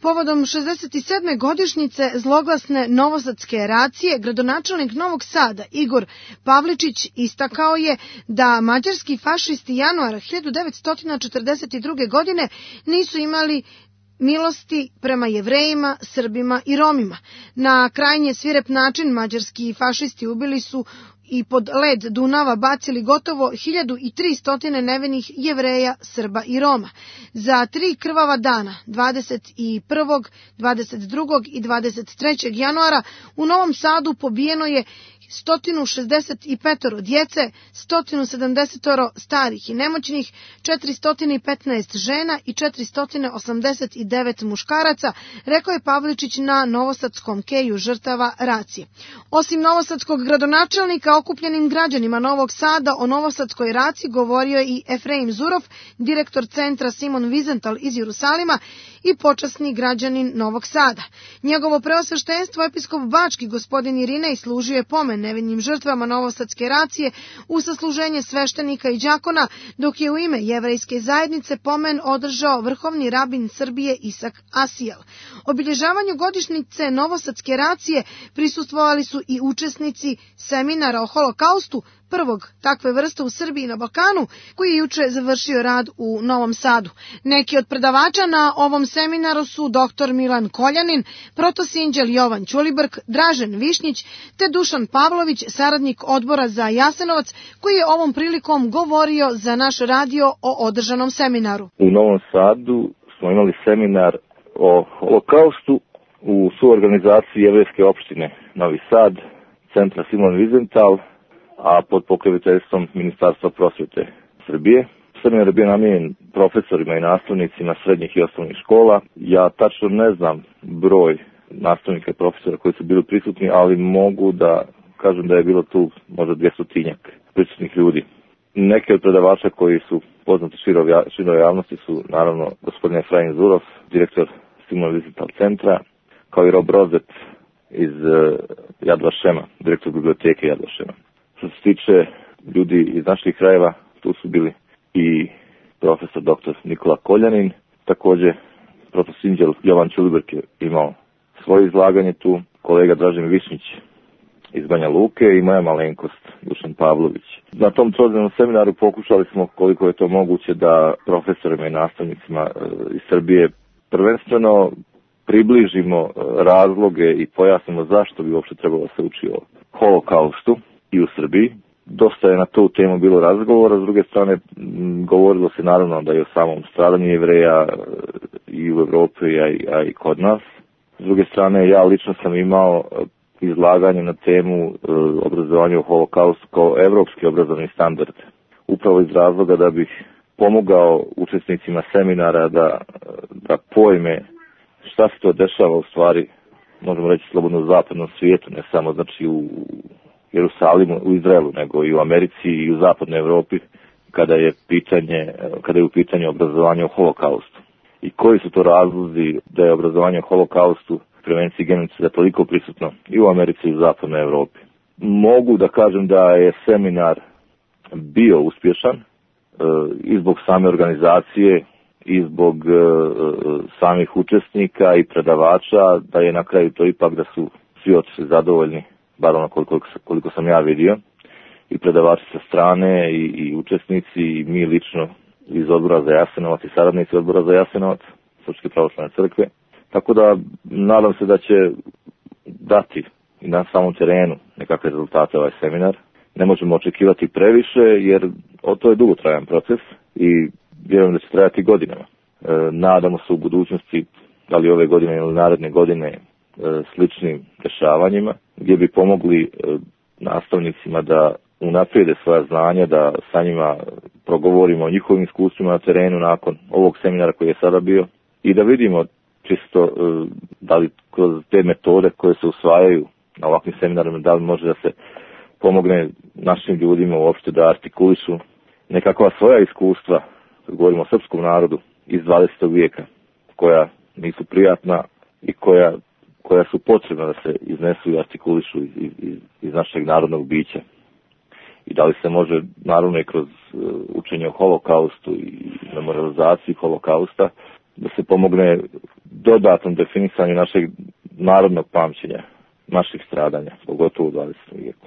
Povodom 67. godišnjice zloglasne novosadske eracije, gradonačelnik Novog Sada Igor Pavličić istakao je da mađarski fašisti januara 1942. godine nisu imali milosti prema Jevrejima, Srbima i Romima. Na krajnje svirep način mađarski fašisti ubili su i pod led Dunava bacili gotovo 1300 nevinih Jevreja, Srba i Roma. Za 3 krvava dana, 21., 22. i 23. januara, u Novom Sadu pobijeno je 165 djece, 170 starih i nemoćnih, 415 žena i 489 muškaraca, rekao je Pavličić na novosadskom keju žrtava racije. Osim novosadskog gradonačelnika, okupljenim građanima Novog Sada o novosadskoj raciji govorio je i Efraim Zurov, direktor centra Simon Wiesenthal iz Jerusalima i počasni građanin Novog Sada. Njegovo preosveštenstvo episkop Bački gospodin Irinej služio je pomen nevinim žrtvama novosadske racije u sasluženje sveštenika i đakona, dok je u ime jevrejske zajednice pomen održao vrhovni rabin Srbije Isak Asijel. Obilježavanju godišnjice novosadske racije prisustvovali su i učesnici seminara o holokaustu, prvog takve vrste u Srbiji i na Balkanu, koji je juče završio rad u Novom Sadu. Neki od predavača na ovom seminaru su dr. Milan Koljanin, protosinđel Jovan Ćulibrk, Dražen Višnjić te Dušan Pavlović, saradnik odbora za Jasenovac, koji je ovom prilikom govorio za naš radio o održanom seminaru. U Novom Sadu smo imali seminar o holokaustu u suorganizaciji Jevrejske opštine Novi Sad, centra Simon Wiesenthal, a pod pokroviteljstvom Ministarstva prosvete Srbije. Seminar je bio namijenjen profesorima i nastavnicima srednjih i osnovnih škola. Ja tačno ne znam broj nastavnika i profesora koji su bili prisutni, ali mogu da kažem da je bilo tu možda 200 prisutnih ljudi. Neki od predavača koji su poznati široj javnosti su naravno gospodin Efraim Zurov, direktor Simon Wiesenthal centra, kao i Rob Rozet iz Yad Vashema, direktor biblioteke Yad Vashema. Što se tiče ljudi iz naših krajeva, tu su bili i profesor dr. Nikola Koljanin, također protosinđel Jovan Ćulibrk je imao svoje izlaganje tu, kolega Dražen Višnjić iz Banja Luke i moja malenkost Dušan Pavlović. Na tom trodnevnom seminaru pokušali smo koliko je to moguće da profesorima i nastavnicima iz Srbije prvenstveno približimo razloge i pojasnimo zašto bi uopšte trebalo se uči o holokaustu i u Srbiji. Dosta je na tu temu bilo razgovora, s druge strane govorilo se naravno da je o samom stradanju Jevreja i u Evropi, a i kod nas. S druge strane, ja lično sam imao izlaganje na temu obrazovanja u holokaustu kao evropski obrazovni standard. Upravo iz razloga da bih pomogao učesnicima seminara da pojme šta se to dešava u stvari, možemo reći slobodno u zapadnom svijetu, ne samo znači u Jerusalimu, u Izraelu, nego i u Americi i u zapadnoj Evropi, kada je u pitanju obrazovanja o holokaustu. I koji su to razlozi da je obrazovanje o holokaustu, prevenciji genocida toliko prisutno i u Americi i u zapadnoj Evropi. Mogu da kažem da je seminar bio uspješan i zbog same organizacije i zbog samih učesnika i predavača, da je na kraju to ipak da su svi otišli zadovoljni, bar ono koliko sam ja vidio, i predavači sa strane i učesnici i mi lično iz odbora za Jasenovac i saradnici odbora za Jasenovac, Srpske pravoslavne crkve. Tako da nadam se da će dati i na samom terenu nekakve rezultate ovaj seminar. Ne možemo očekivati previše jer to je dugotrajan proces i vjerujem da će trajati godinama. Nadamo se u budućnosti, da li ove godine ili naredne godine, sličnim dešavanjima gdje bi pomogli nastavnicima da unaprijede svoja znanja, da sa njima progovorimo o njihovim iskustvima na terenu nakon ovog seminara koji je sada bio i da vidimo čisto da li kroz te metode koje se usvajaju na ovakvim seminarima, da li može da se pomogne našim ljudima uopšte da artikulišu nekakva svoja iskustva, kad govorimo o srpskom narodu iz 20. vijeka, koja nisu prijatna i koja su potrebna da se iznesu i artikulišu iz našeg narodnog bića. I da li se može, naravno i kroz učenje o holokaustu i memorializaciji holokausta, da se pomogne dodatnom definisanju našeg narodnog pamćenja, naših stradanja, pogotovo u 20. vijeku.